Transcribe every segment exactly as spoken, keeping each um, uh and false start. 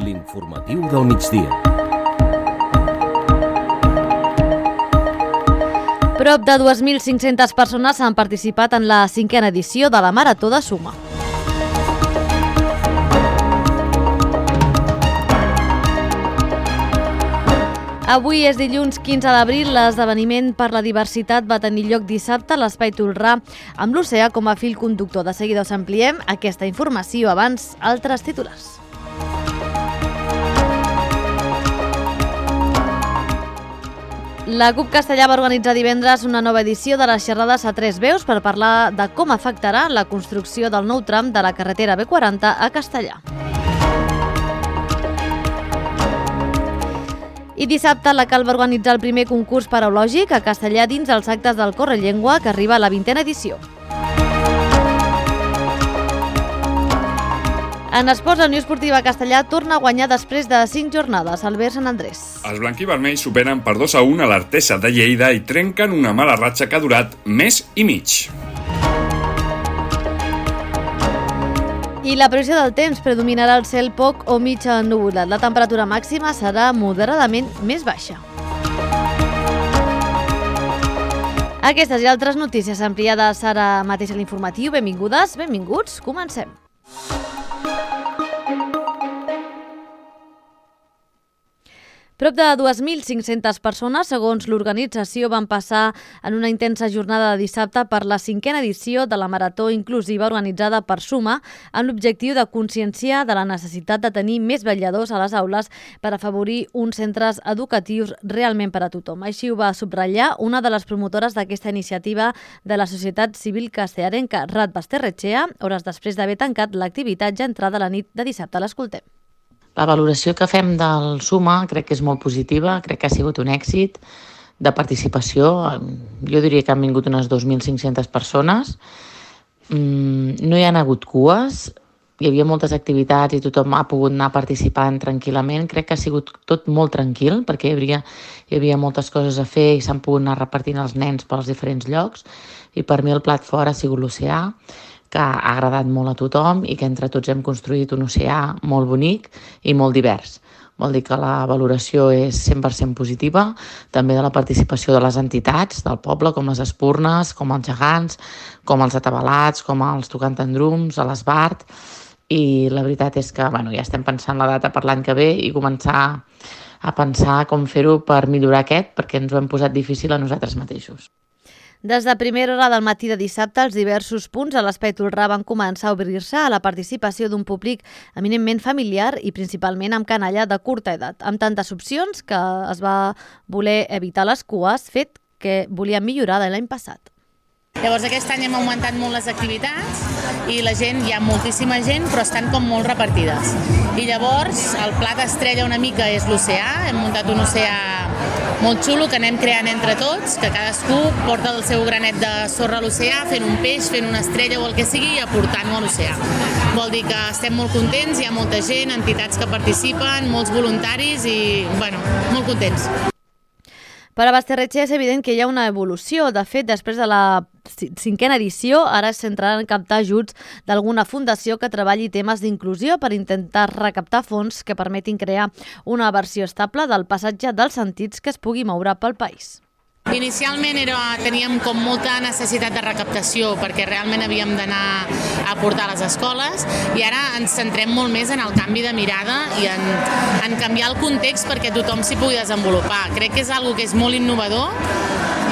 L'informatiu del migdia. Prop de dues mil cinc-centes persones han participat en la cinquena edició de la Marató de Suma. Avui és dilluns quinze d'abril, l'esdeveniment per la diversitat va tenir lloc dissabte a l'Espai Tolrà amb l'Oceà com a fil conductor. De seguida us ampliem aquesta informació, abans altres titulars. La CUP Castellà va organitzar divendres una nova edició de les xerrades a tres veus per parlar de com afectarà la construcció del nou tram de la carretera B quaranta a Castellà. I dissabte la Cal va organitzar el primer concurs paraulògic a Castellà dins els actes del Correllengua, que arriba a la vintena edició. En esports, la Unió Esportiva Castellà torna a guanyar després de cinc jornades al Ver Sant Andrés. Els blanquivermells superen per dos a un a l'Artesa de Lleida i trenquen una mala ratxa que ha durat mes i mig. I la previsió del temps: predominarà el cel poc o mig ennuvolat. La temperatura màxima serà moderadament més baixa. Aquestes i altres notícies ampliades ara mateix a l'informatiu. Benvingudes, benvinguts, comencem. Prop de dues mil cinc-centes persones, segons l'organització, van passar en una intensa jornada de dissabte per la cinquena edició de la Marató Inclusiva organitzada per Suma, amb l'objectiu de conscienciar de la necessitat de tenir més vetlladors a les aules per afavorir uns centres educatius realment per a tothom. Així ho va subratllar una de les promotores d'aquesta iniciativa de la societat civil castellarenca, Rat Basterretxea, hores després d'haver tancat l'activitat ja entrada la nit de dissabte. L'escoltem. La valoració que fem del Suma crec que és molt positiva, crec que ha sigut un èxit de participació. Jo diria que han vingut unes dos mil cinc-centes persones. No hi ha hagut cues, hi havia moltes activitats i tothom ha pogut anar participant tranquil·lament. Crec que ha sigut tot molt tranquil perquè hi havia, hi havia moltes coses a fer i s'han pogut anar repartint els nens pels diferents llocs. I per mi el plat fort ha sigut l'Oceà, que ha agradat molt a tothom i que entre tots hem construït un oceà molt bonic i molt divers. Vol dir que la valoració és cent per cent positiva, també de la participació de les entitats del poble, com les Espurnes, com els Gegants, com els Atabalats, com els Tocantendrums, a l'Esbart, i la veritat és que bueno, ja estem pensant la data per l'any que ve i començar a pensar com fer-ho per millorar aquest, perquè ens ho hem posat difícil a nosaltres mateixos. Des de primera hora del matí de dissabte, els diversos punts a l'Espai Tolrà van començar a obrir-se a la participació d'un públic eminentment familiar i principalment amb canalla de curta edat, amb tantes opcions que es va voler evitar les cues, fet que volien millorar de l'any passat. Llavors aquest any hem augmentat molt les activitats i la gent, hi ha moltíssima gent, però estan com molt repartides. I llavors el plat estrella una mica és l'oceà, hem muntat un oceà molt xulo que anem creant entre tots, que cadascú porta el seu granet de sorra a l'oceà, fent un peix, fent una estrella o el que sigui i aportant-ho a l'oceà. Vol dir que estem molt contents, hi ha molta gent, entitats que participen, molts voluntaris i, bueno, molt contents. Per a Basterretxea és evident que hi ha una evolució. De fet, després de la cinquena edició, ara es centraran en captar ajuts d'alguna fundació que treballi temes d'inclusió per intentar recaptar fons que permetin crear una versió estable del passatge dels sentits que es pugui moure pel país. Inicialment era, teníem com molta necessitat de recaptació perquè realment havíem d'anar a portar a les escoles i ara ens centrem molt més en el canvi de mirada i en, en canviar el context perquè tothom s'hi pugui desenvolupar. Crec que és una cosa que és molt innovador,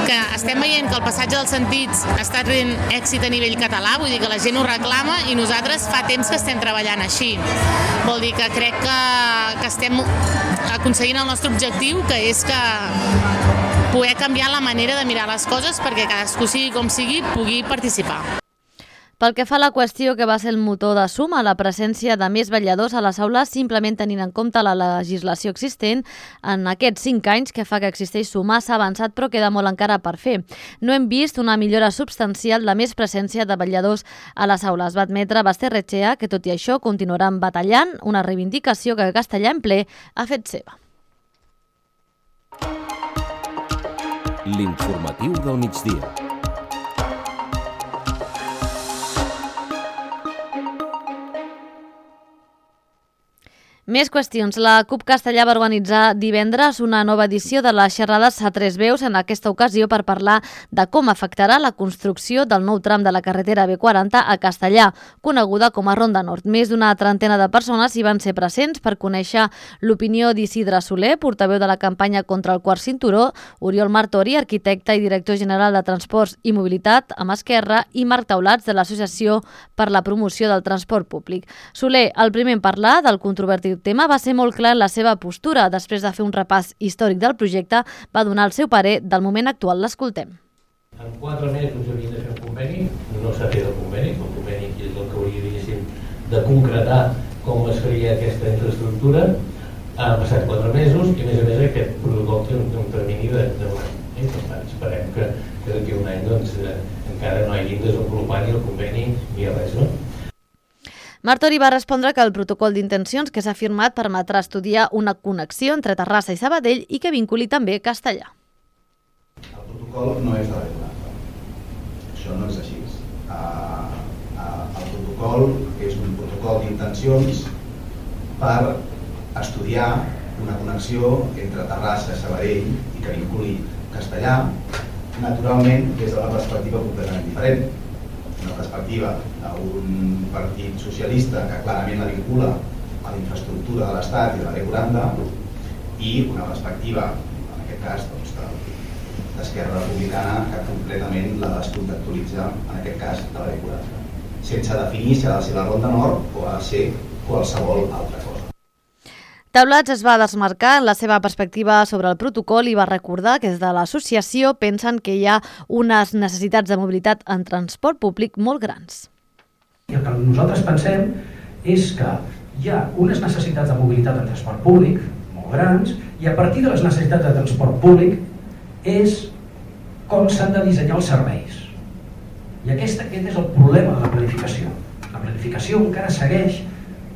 que estem veient que el passatge dels sentits està tenint èxit a nivell català, vull dir que la gent ho reclama i nosaltres fa temps que estem treballant així. Vol dir que crec que, que estem aconseguint el nostre objectiu, que és que poder canviar la manera de mirar les coses perquè cadascú sigui com sigui pugui participar. Pel que fa a la qüestió que va ser el motor de Suma, la presència de més vetlladors a les aules, simplement tenint en compte la legislació existent, en aquests cinc anys que fa que existeix Suma s'ha avançat però queda molt encara per fer. No hem vist una millora substancial de més presència de vetlladors a les aules. Va admetre Basterretxea que tot i això continuaran batallant, una reivindicació que Castellà en ple ha fet seva. L'informatiu del migdia. Més qüestions. La CUP Castellà va organitzar divendres una nova edició de les xerrades a tres veus, en aquesta ocasió per parlar de com afectarà la construcció del nou tram de la carretera B quaranta a Castellà, coneguda com a Ronda Nord. Més d'una trentena de persones hi van ser presents per conèixer l'opinió d'Isidre Soler, portaveu de la campanya contra el quart cinturó, Oriol Martori, arquitecte i director general de Transports i Mobilitat amb Esquerra, i Marc Taulats, de l'Associació per la Promoció del Transport Públic. Soler, el primer en parlar del controvertit tema, va ser molt clar en la seva postura. Després de fer un repàs històric del projecte, va donar el seu parer del moment actual. L'escoltem. En quatre mesos havien de fer un conveni, no s'ha fet el conveni, el conveni és el que hauria, diguéssim, de concretar com es faria aquesta infraestructura. Han passat quatre mesos i, a més a més, aquest protocol té un, un termini de, de un any. Eh? Per tant, esperem que, que d'aquí un any doncs, eh, encara no hagin desenvolupat ni el conveni ni res, no? Martori va respondre que el protocol d'intencions que s'ha firmat permetrà estudiar una connexió entre Terrassa i Sabadell i que vinculi també Castellà. El protocol no és de B quaranta. Això no és així. Uh, uh, el protocol és un protocol d'intencions per estudiar una connexió entre Terrassa i Sabadell i que vinculi Castellà, naturalment des d'una perspectiva completament diferent. Una perspectiva d'un partit socialista que clarament la vincula a la infraestructura de l'Estat i de la B quaranta, i una perspectiva, en aquest cas, doncs, d'Esquerra Republicana, que completament la descontextualitza, en aquest cas, de la B quaranta, sense definir si ha de ser la Ronda Nord o ha de ser qualsevol altra cosa. Taulats es va desmarcar en la seva perspectiva sobre el protocol i va recordar que des de l'associació pensen que hi ha unes necessitats de mobilitat en transport públic molt grans. I el que nosaltres pensem és que hi ha unes necessitats de mobilitat en transport públic molt grans i a partir de les necessitats de transport públic és com s'han de dissenyar els serveis. I aquest, aquest és el problema de la planificació. La planificació encara segueix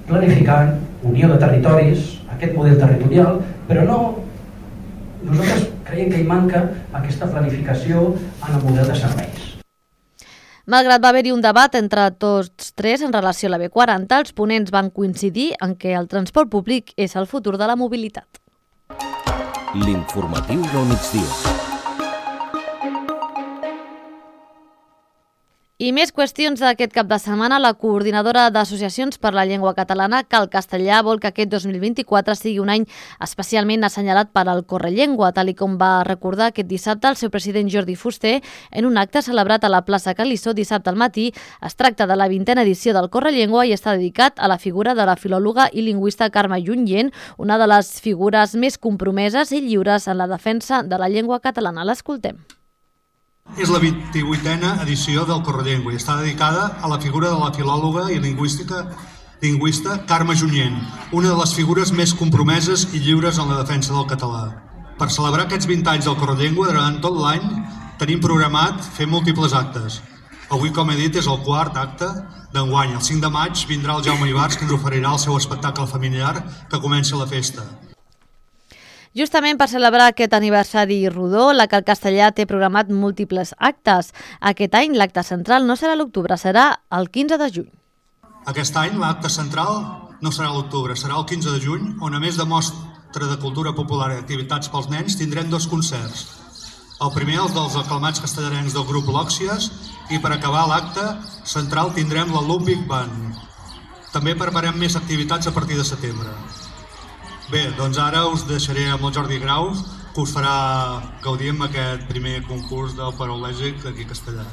planificant unió de territoris, aquest model territorial, però no, nosaltres creiem que hi manca aquesta planificació en el model de serveis. Malgrat va haver-hi un debat entre tots tres en relació a la B quaranta, els ponents van coincidir en que el transport públic és el futur de la mobilitat. L'informatiu del migdia. I més qüestions d'aquest cap de setmana. La coordinadora d'associacions per la llengua catalana, Cal Castellà, vol que aquest dos mil vint-i-quatre sigui un any especialment assenyalat per al Correllengua, tal i com va recordar aquest dissabte el seu president Jordi Fuster en un acte celebrat a la plaça Calissó dissabte al matí. Es tracta de la vintena edició del Correllengua i està dedicat a la figura de la filòloga i lingüista Carme Junyent, una de les figures més compromeses i lliures en la defensa de la llengua catalana. L'escoltem. És la vint-i-vuitena edició del Correllengua i està dedicada a la figura de la filòloga i lingüística lingüista Carme Junyent, una de les figures més compromeses i lliures en la defensa del català. Per celebrar aquests vint anys del Correllengua, durant tot l'any tenim programat fer múltiples actes. Avui, com he dit, és el quart acte d'enguany. El cinc de maig vindrà el Jaume Ibars, que ens oferirà el seu espectacle familiar que comença la festa. Justament per celebrar aquest aniversari rodó, la Cal Castellà té programat múltiples actes. Aquest any l'acte central no serà a l'octubre, serà el quinze de juny. Aquest any l'acte central no serà a l'octubre, serà el quinze de juny, on a més de mostra de cultura popular i activitats pels nens tindrem dos concerts. El primer, els dels aclamats castellarencs del grup Lòxies, i per acabar l'acte central tindrem la Lumbic Band. També preparem més activitats a partir de setembre. Bé, doncs ara us deixaré amb el Jordi Grau, que us farà gaudir amb aquest primer concurs del Paralègic aquí a Castellà.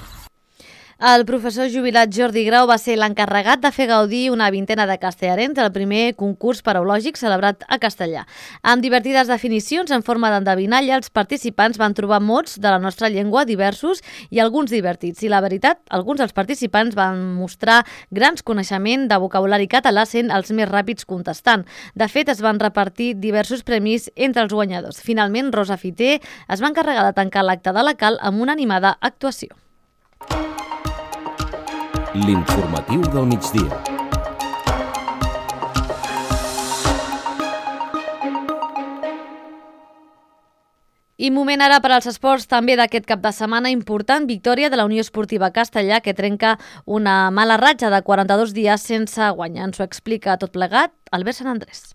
El professor jubilat Jordi Grau va ser l'encarregat de fer gaudir una vintena de castellarens al primer concurs paraulògic celebrat a Castellà. Amb divertides definicions en forma d'endevinalla, els participants van trobar mots de la nostra llengua diversos i alguns divertits. I la veritat, alguns dels participants van mostrar grans coneixements de vocabulari català, sent els més ràpids contestant. De fet, es van repartir diversos premis entre els guanyadors. Finalment, Rosa Fiter es va encarregar de tancar l'acte de la Cal amb una animada actuació. L'informatiu del migdia. I moment ara per als esports també d'aquest cap de setmana. Important victòria de la Unió Esportiva Castellà, que trenca una mala ratxa de quaranta-dos dies sense guanyar. Ens ho explica tot plegat Albert Sant Andrés.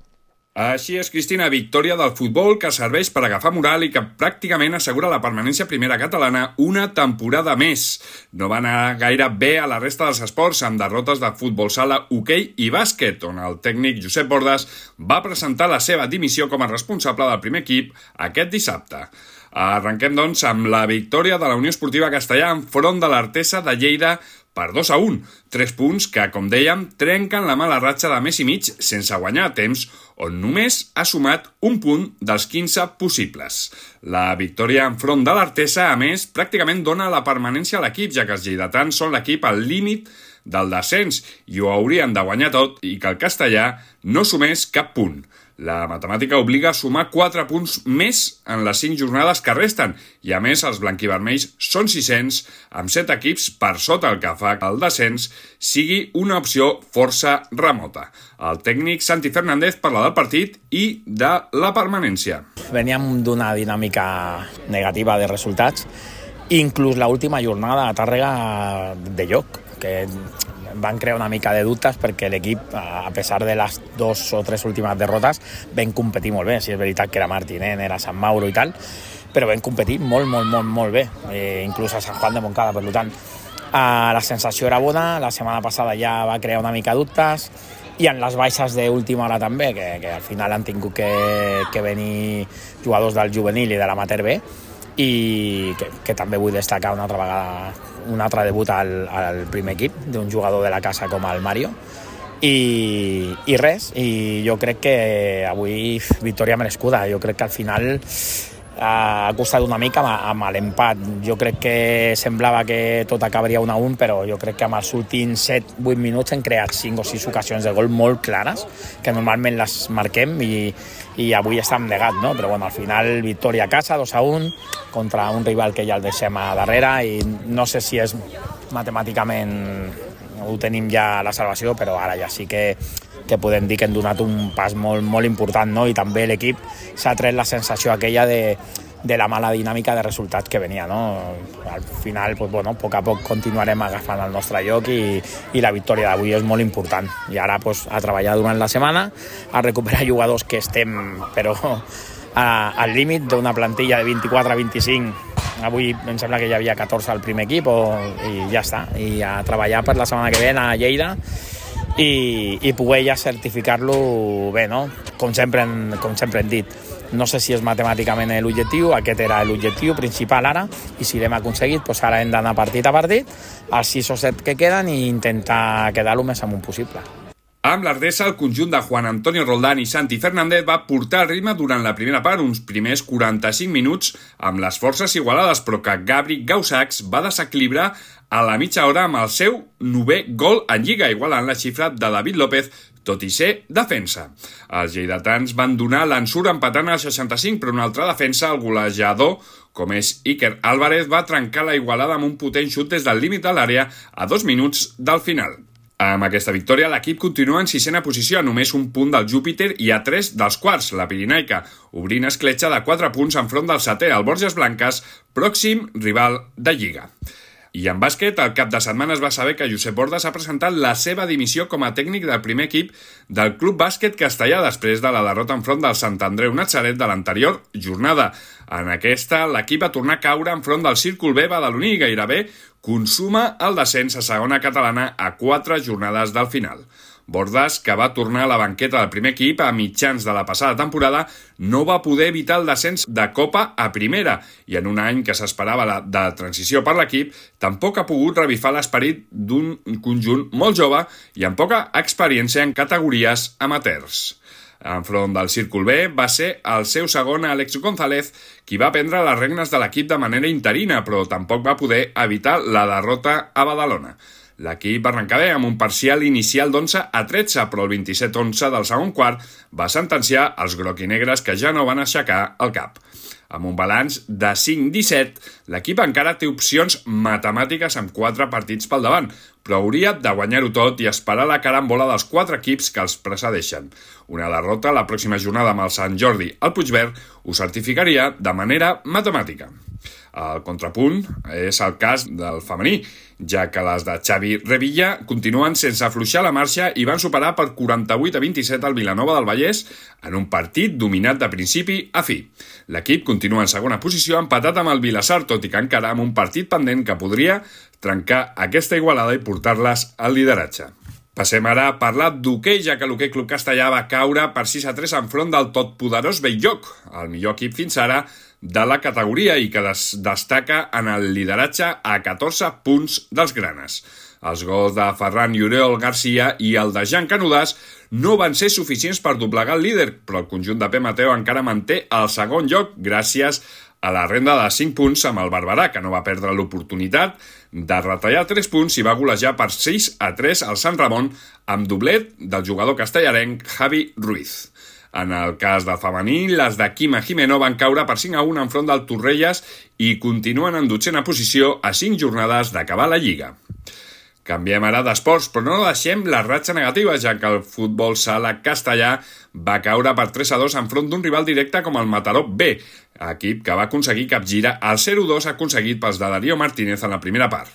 Així és, Cristina, victòria del futbol que serveix per agafar moral i que pràcticament assegura la permanència a primera catalana una temporada més. No va anar gaire bé a la resta dels esports amb derrotes de futbol sala, hoquei i bàsquet, on el tècnic Josep Bordas va presentar la seva dimissió com a responsable del primer equip aquest dissabte. Arrenquem, doncs, amb la victòria de la Unió Esportiva Castellà enfront de l'Artesa de Lleida per dos a un. Tres punts que, com dèiem, trenquen la mala ratxa de mes i mig sense guanyar a temps, on només ha sumat un punt dels quinze possibles. La victòria enfront de l'Artesa, a més, pràcticament dona la permanència a l'equip, ja que els lleidatans són l'equip al límit del descens i ho haurien de guanyar tot i que el castellà no sumés cap punt. La matemàtica obliga a sumar quatre punts més en les cinc jornades que resten i, a més, els blanquivermells són sis-cents amb set equips per sota, el que fa que el descens sigui una opció força remota. El tècnic Santi Fernández parla del partit i de la permanència. Veníem d'una dinàmica negativa de resultats, inclús l'última jornada a Tàrrega de lloc, que van crear una mica de dubtes perquè l'equip, a pesar de les dos o tres últimes derrotes, vam competir molt bé. Si és veritat que era Martinent, era Sant Mauro i tal, però vam competir molt, molt, molt, molt bé, eh, inclús a Sant Juan de Montcada, per tant. Eh, la sensació era bona, la setmana passada ja va crear una mica dubtes, i en les baixes d'última hora també, que, que al final han tingut que, que venir jugadors del juvenil i de l'amateur B, i que, que també vull destacar una altra vegada un altre debut al, al primer equip d'un jugador de la casa com el Mario i, i res, i jo crec que avui victòria merescuda. Jo crec que al final ha costat una mica amb l'empat. Jo crec que semblava que tot acabaria un a un, però jo crec que amb els últims set vuit minuts hem creat cinc o sis ocasions de gol molt clares, que normalment les marquem i, i avui estem negats, no? Però bueno, al final victòria a casa, dos a un, contra un rival que ja el deixem a darrere, i no sé si és matemàticament ho tenim ja la salvació, però ara ja sí que que podem dir que hem donat un pas molt, molt important, no? I també l'equip s'ha tret la sensació aquella de, de la mala dinàmica de resultats que venia, no? Al final, pues, bueno, a poc a poc continuarem agafant el nostre lloc i, i la victòria d'avui és molt important. I ara pues, a treballar durant la setmana, a recuperar jugadors que estem, però a, al límit d'una plantilla de vint-i-quatre a vint-i-cinc. Avui em sembla que hi havia catorze al primer equip o, i ja està. I a treballar per la setmana que ve a Lleida i, i poder ja certificar-lo bé, no? Com sempre, com sempre hem dit. No sé si és matemàticament l'objectiu, aquest era l'objectiu principal ara, i si l'hem aconseguit, doncs ara hem d'anar partit a partit, els sis o set que queden, i intentar quedar-lo més amunt possible. Amb l'Ardesa, el conjunt de Juan Antonio Roldán i Santi Fernández va portar el ritme durant la primera part, uns primers quaranta-cinc minuts, amb les forces igualades, però que Gabri Gausacs va desequilibrar a la mitja hora amb el seu novè gol en Lliga, igualant la xifra de David López, tot i ser defensa. Els lleidatans van donar l'ensurt empatant al seixanta-cinc, però un altre defensa, el golejador, com és Iker Álvarez, va trencar la igualada amb un potent xut des del límit de l'àrea a dos minuts del final. Amb aquesta victòria, l'equip continua en sisena posició, a només un punt del Júpiter i a tres dels quarts, la Pirinaica, obrint escletxa de quatre punts enfront del setè, el Borges Blanques, pròxim rival de Lliga. I en bàsquet, el cap de setmana es va saber que Josep Bordas ha presentat la seva dimissió com a tècnic del primer equip del Club Bàsquet Castellà després de la derrota enfront del Sant Andreu Natzaret de l'anterior jornada. En aquesta, l'equip va tornar a caure enfront del Círcul B badaloní i gairebé consuma el descens a segona catalana a quatre jornades del final. Bordas, que va tornar a la banqueta del primer equip a mitjans de la passada temporada, no va poder evitar el descens de Copa a primera, i en un any que s'esperava la, de transició per l'equip, tampoc ha pogut revifar l'esperit d'un conjunt molt jove i amb poca experiència en categories amateurs. Enfront del Círcul B va ser el seu segon Àlex González qui va prendre les regnes de l'equip de manera interina, però tampoc va poder evitar la derrota a Badalona. L'equip va arrencar bé amb un parcial inicial d'onze a tretze, però el vint-i-set onze del segon quart va sentenciar els groc-i-negres, que ja no van aixecar el cap. Amb un balanç de cinc disset, l'equip encara té opcions matemàtiques amb quatre partits pel davant, però hauria de guanyar-ho tot i esperar la carambola dels quatre equips que els precedeixen. Una derrota la pròxima jornada amb el Sant Jordi al Puigverd ho certificaria de manera matemàtica. El contrapunt és el cas del femení, ja que les de Xavi Revilla continuen sense afluixar la marxa i van superar per quaranta-vuit a vint-i-set al Vilanova del Vallès en un partit dominat de principi a fi. L'equip continua en segona posició empatat amb el Vilassar, tot i que encara amb un partit pendent que podria trencar aquesta igualada i portar-les al lideratge. Passem ara a parlar d'hoquei, ja que l'Hoquei Club Castellà va caure per sis a tres enfront del totpoderós Bell-lloc, el millor equip fins ara de la categoria i que des destaca en el lideratge a catorze punts dels granes. Els gols de Ferran i Oriol Garcia i el de Jan Canudàs no van ser suficients per doblegar el líder, però el conjunt de P. Mateo encara manté el segon lloc gràcies a la renda de cinc punts amb el Barberà, que no va perdre l'oportunitat de retallar tres punts i va golejar per sis a tres al Sant Ramon amb doblet del jugador castellarenc Javi Ruiz. En el cas del femení, les de Quima Jimeno van caure per cinc a un enfront del Torrelles i continuen en dotzena posició a cinc jornades d'acabar la Lliga. Canviem ara d'esports, però no deixem la ratxa negativa, ja que el futbol sala castellà va caure per tres a dos enfront d'un rival directe com el Mataró B, equip que va aconseguir capgirar el zero a dos aconseguit pels de Darío Martínez en la primera part.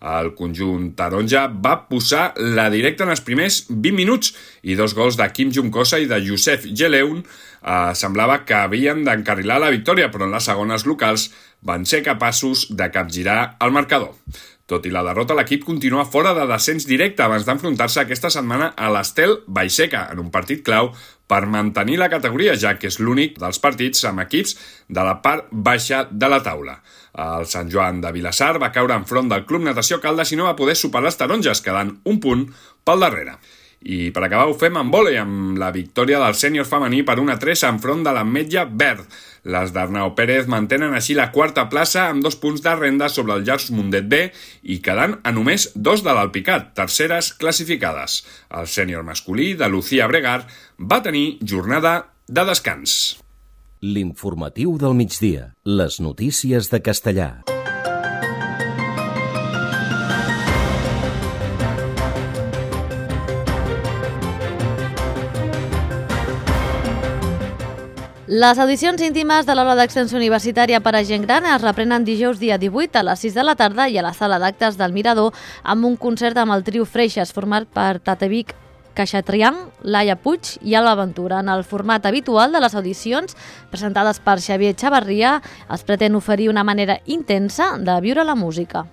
El conjunt taronja va posar la directa en els primers vint minuts i dos gols de Quim Juncosa i de Youssef Geleun eh, semblava que havien d'encarrilar la victòria, però en les segones locals van ser capaços de capgirar el marcador. Tot i la derrota, l'equip continua fora de descens directe abans d'enfrontar-se aquesta setmana a l'Estel Baixeca en un partit clau per mantenir la categoria, ja que és l'únic dels partits amb equips de la part baixa de la taula. El Sant Joan de Vilassar va caure enfront del Club Natació Caldes i no va poder superar les taronges, quedant un punt pel darrere. I per acabar ho fem amb vòlei, amb la victòria del sènior femení per un a tres enfront de l'Ametlla Verd. Les d'Arnau Pérez mantenen així la quarta plaça amb dos punts de renda sobre el Llars Mundet B i quedant a només dos de l'Alpicat, terceres classificades. El sènior masculí de Lucía Bregar va tenir jornada de descans. L'informatiu del migdia. Les notícies de Castellà. Les audicions íntimes de l'aula d'extensió universitària per a gent gran es reprenen dijous dia divuit a les sis de la tarda i a la sala d'actes del Mirador amb un concert amb el trio Freixes format per Tatevic Caixatrian, Laia Puig i Alba Ventura. En el format habitual de les audicions presentades per Xavier Xavarria es pretén oferir una manera intensa de viure la música.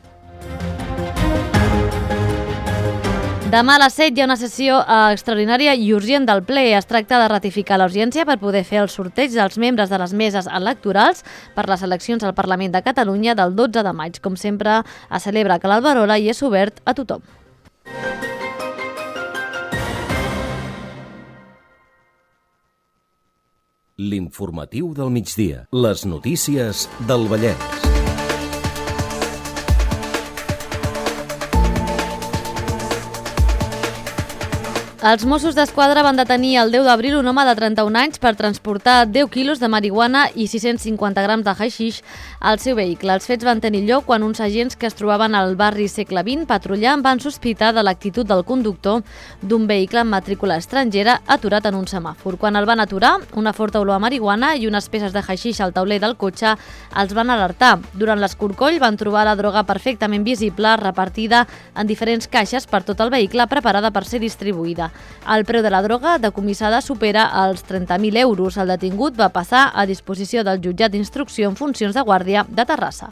Demà a les set hi ha una sessió extraordinària i urgent del ple. Es tracta de ratificar la urgència per poder fer el sorteig dels membres de les meses electorals per les eleccions al Parlament de Catalunya del dotze de maig. Com sempre, es celebra a Cal Alberola i és obert a tothom. L'informatiu del migdia. Les notícies del Vallès. Els Mossos d'Esquadra van detenir el deu d'abril un home de trenta-un anys per transportar deu quilos de marihuana i sis-cents cinquanta grams de haixix al seu vehicle. Els fets van tenir lloc quan uns agents que es trobaven al barri Segle vint patrullant van sospitar de l'actitud del conductor d'un vehicle amb matrícula estrangera aturat en un semàfor. Quan el van aturar, una forta olor a marihuana i unes peces de haixix al tauler del cotxe els van alertar. Durant l'escorcoll van trobar la droga perfectament visible repartida en diferents caixes per tot el vehicle preparada per ser distribuïda. El preu de la droga decomissada supera els trenta mil euros. El detingut va passar a disposició del jutjat d'instrucció en funcions de guàrdia de Terrassa.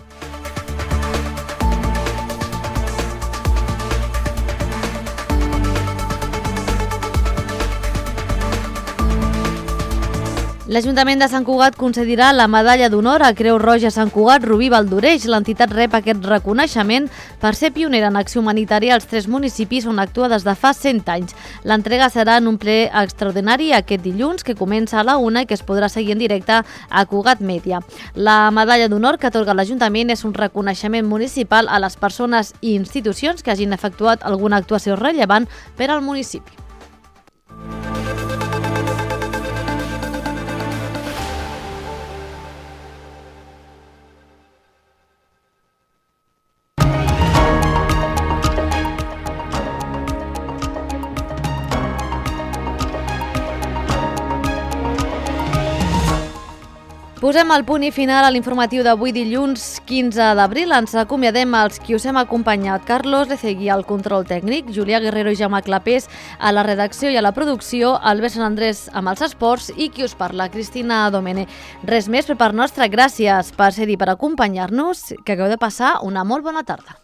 L'Ajuntament de Sant Cugat concedirà la medalla d'honor a Creu Roja Sant Cugat Rubí Valdoreix. L'entitat rep aquest reconeixement per ser pionera en acció humanitària als tres municipis on actua des de fa cent anys. L'entrega serà en un ple extraordinari aquest dilluns, que comença a la una i que es podrà seguir en directe a Cugat Mèdia. La medalla d'honor que atorga l'Ajuntament és un reconeixement municipal a les persones i institucions que hagin efectuat alguna actuació rellevant per al municipi. Posem el punt i final a l'informatiu d'avui dilluns quinze d'abril. Ens acomiadem els qui us hem acompanyat. Carlos Lecegui al control tècnic, Julià Guerrero i Jaume Clapés a la redacció i a la producció, Albert Sant Andrés amb els esports i qui us parla, Cristina Domene. Res més per part nostra. Gràcies per ser-hi, per acompanyar-nos. Que acabeu de passar una molt bona tarda.